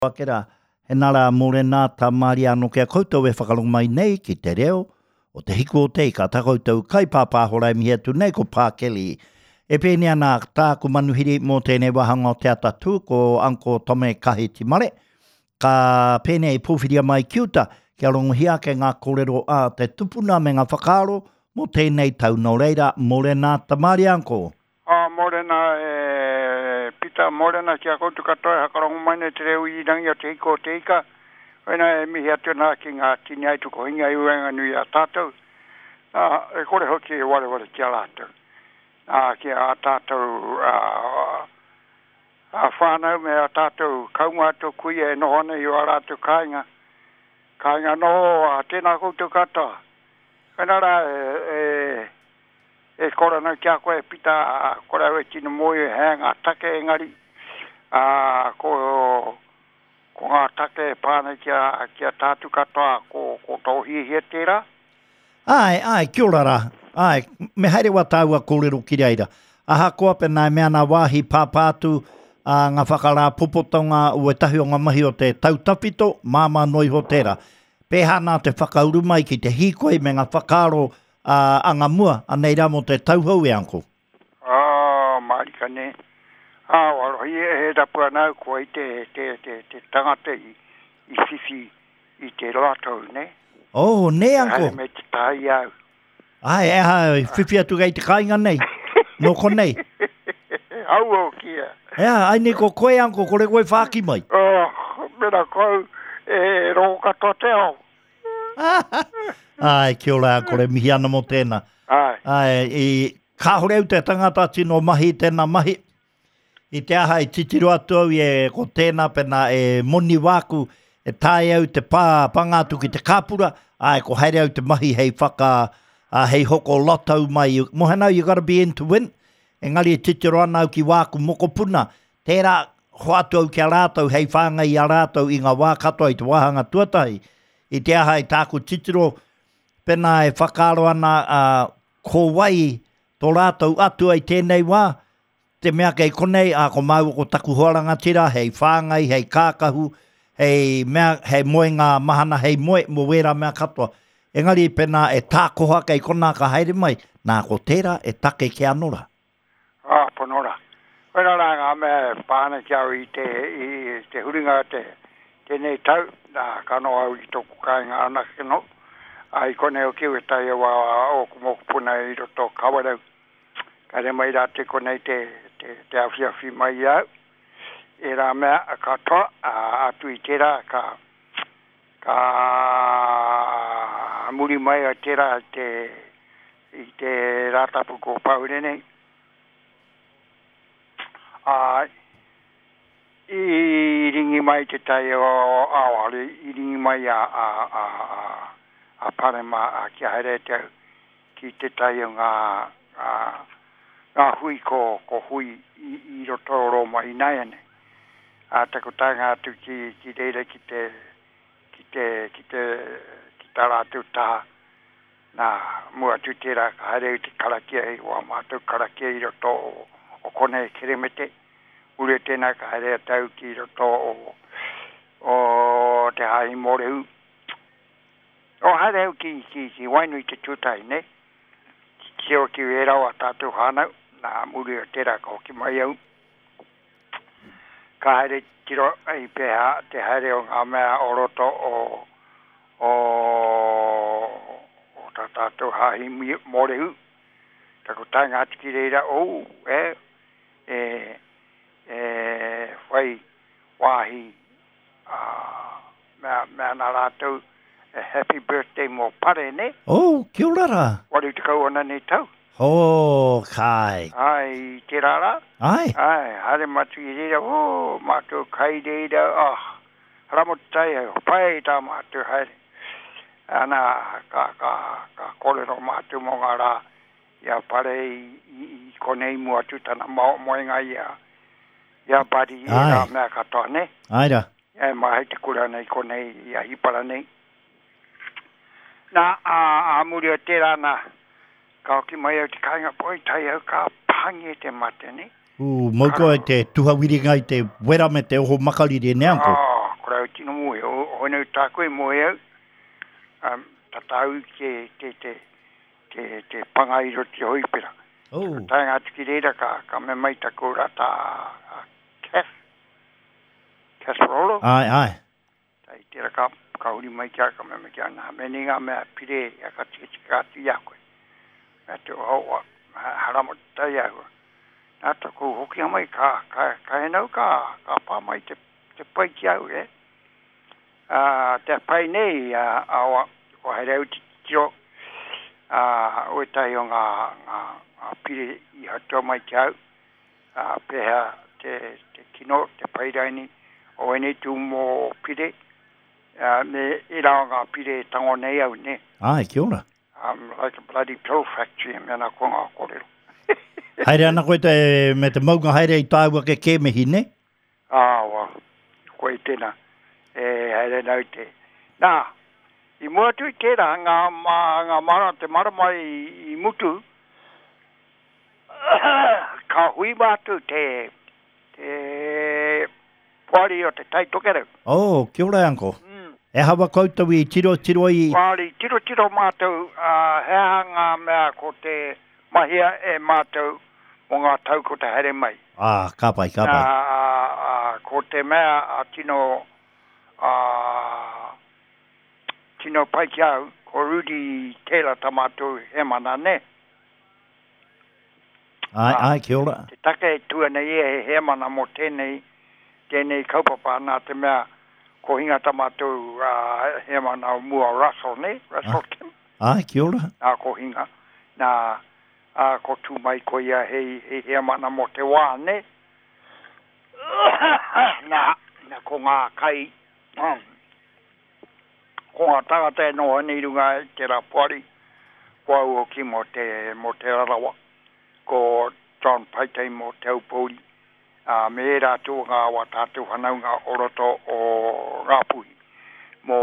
Ake rā, he nā rā mōrena tā Māria anō ki a koutou e whakarongo mai nei ki te reo o Te Hiku o Te Ika, tā koutou kaipāpāho rā e mihi atu nei ko Pā Kelly. E pēnei ana tāku manuhiri mō tēnei wāhanga o Te Atatū, ko Uncle Tome Kahetimare. Ka pēnei i pōwhiria mai ki uta kia rongohia ake ngā kōrero a te tupuna me ngā whakaaro mō tēnei tau. Nō reira, mōrena tā Māria Uncle. Ā, mōrena e Pita, mōrena ki a koutou katoa e hakarongo mai nei te reo irirangi o Te Hiko o Te Ika. Koinā e mihi atu ana ki ngā tini aitukohinga i waenganui i a tātou, ā, e kore hoki e wareware ki a rātou, ā, ki a tātou, ā, ā whānau me ā tātou kaumātua kuia e noho ana i ō rātou kāinga, kāinga noho, ā, tēnā koutou katoa. Koinā rā e, e. E kore ana ki a koe e Pita, kore au e tino mōhio he aha ngā take engari, ā, ko, ko ngā take e pā ana ki a, ki a tātou katoa, ko, ko tō hiahia tērā? Āe, āe, kia ora rā. Āe, me haere wā tāua kōrero ki reira. Ahakoa pēnā e mea ana wāhi pāpā atu ā, ngā whakarāpopotonga o ētahi o ngā mahi o te tau tawhito, māmā noa iho tērā. Pēhā nā te whakauru mai ki te hīkoi me ngā whakaaro Ā, anga mua, anei rā mō te tauhou e Uncle. Ā, mārika nē. Ā, warohi e he rapu ana au koa i te, te, te, te tangata i, i whiwhi i te lotto, nē. Oh, nē, Uncle. Haere mai te taha i a au. Āe, e aha, i whiwhi atu kei te kāinga nei, nō konei. Aua hoki ia. E aha, ai nei ko koe, Uncle, kore koe whāki mai. Oh, mena ko au, e rongo katoa te ao. Āe, kia ora, kore mihi ana mō tēnā. Āe. Āe, i, kāore au te tangata tino mahi i tēnā mahi. I te aha i titiro atu au i e, ko tēnā pēnā e moni wāku, e taea au te pā, panga atu ki te kāpura, āe, ko haere au te mahi hei whaka, ā, hei hoko lotto mai. Mohana, you gotta be in to win. Engari e titiro ana au ki wāku mokopuna, Tērā, hoatu au ki a rātou hei whāngai i a rātou i ngā wā katoa i te wāhanga tuatahi. I te aha i tāku titiro, pēnā e whakaaro ana a, ko wai tō rātou atua i tēnei wā, te mea kei konei, ā, ko māua ko taku hoa rangatira hei whāngai, hei kākahu, hei mea, hei moenga mahana, hei moe mō wērā mea katoa. Engari pēnā e tākoha kei konā ka haere mai, nā ko tērā e take kē anō rā. Ā, pono rā. Koirā rā ngā mea e pā ana ki a au i te, i te huringa o te, tēnei tau, nā, ka noho au i tōku kāinga anake noho, ā, i konei hoki au e tae au a ōku mokopuna i roto o Kawerau. Ka haere mai rātou i konei te, te, te awhiawhi mai i a au. Ērā mea katoa, ā, atu i tērā, ka, ka muri mai o tērā te, I te Rātapu ko Paure nei, ā, i ringi mai te tai o Aoare, i ringi mai a, a, a, a, a Parema a kia haere te au ki te tai o ngā, ngā, ngā hui ko, ko hui i, i roto o Rōma ināianei. Ā, taku taenga atu ki, ki reira ki te, ki te, ki te, ki tā rātou taha, Nā, mua atu tērā ka haere au te karakia i wā mātou karakia i roto o, o konei Keremete. Muri o tēnā ka haere atu au ki roto o, o Te Hāhi Mōrehu. O haere au ki, ki, ki Wainui te tuatahi, nei. Titiro ki ērā o a tātou whānau. Nā, muri o tērā ka hoki mai au. Ka haere tiro i pēhea te haere o ngā mea o roto o, o, o tā tātou hāhi Mōrehu. Taku taenga atu ki reira, oh, e, e, e whai wāhi a, mea, mea nā rātou, e happy birthday mō Pare, nē? Oh, kia ora rā. 80 ana nei tau. Oh, kai. Ai, i tērā rā. Ai. Ai, haere mātou i reira, oh, mātou kai reira, oh, Ramotai, pai tā mātou haere. Ana, ka, ka, ka kōrero mātou mō ngā rā i a Pare i, i, i konei mua atu tana moenga i a, i a Buddy, i ērā mea katoa, nē? Ai rā. E māhei te kura nei konei i a Hipara nei. Nā, ā, ā muri o tērā nā, ka hoki mai au te kāinga, poi tae au ka pāngia te mate, nē? Ū, mau koe te tuhawiringa i te wera me te oho makariri, nē, Uncle? Ā, Kāore au tino mōhio, hoinau tāku e moe au, um, tata au te, te, te, te, te panga i roto te hoipera. Oh. Ka taenga atu ki reira, ka, ka mea mai taku rata a Kath, Casserolo. Ai, ai. Tai tera ka, ka huri mai ki a, ka mea mai ki a, nā, me nei ngā mea pire, ia ka tikatika atu i a koe. Mea te oha oa, harama te tai ahua. Nā taku hokinga mai, ka, ka, ka henau, ka, ka pā mai te te pai ki au, e. Ā, te pai nei, ā, awa, kua haere au te titiro, ā, o ētahi o ngā, ngā, ngā pire i hatua mai ki au, ā, pēhea te, te kino, te pai raini o ēnei tūmomo pire, ā, me ērā o ngā pire e tango nei au, nē. Āe, kia ora. I'm like a bloody pill factory, me ana ko ngā kōrero. Haere ana koe te, me te maunga haere i tāu ake kēmehi, nē? Awa, koe tena, e haere ana au te. Na, i mua atu i tera, nga, ma, nga mara, te marama i, i mutu, ka hui matou te, te poari o te Tai Tokerau. Oh, kia ora e uncle. Mm. E hawa koutou i tirotiro i... Poari, tirotiro matou, a, he aha nga mea ko te mahia e matou mo nga tau ko te haere mai. Ā, ka pai, ka pai. Ā, ā, ko te mea a tino, ā, tino pai ki a au, ko Rudi Taylor ta matou hemana, ne? Āe, āe, kia ora. Te take e tua nei ia he hemana mo tenei, tenei kaupapa, na te mea ko hinga ta matou, ā, hemana o mua Russell, ne? Russell Kim. Āe, kia ora. Nā, ko hinga. Nā, ā, ko tū mai ko ia hei, hei heamana mō te wā, nē? Nā, nā, ko ngā kai, ko ngā tāngata e noho ana i runga i tērā poari, ko au hoki mō te, mō Te Rarawa, ko John Paitei mō Te Aupōuri, ā, me ērā atu o ngā wā tātou whanaunga o roto o Ngāpuhi.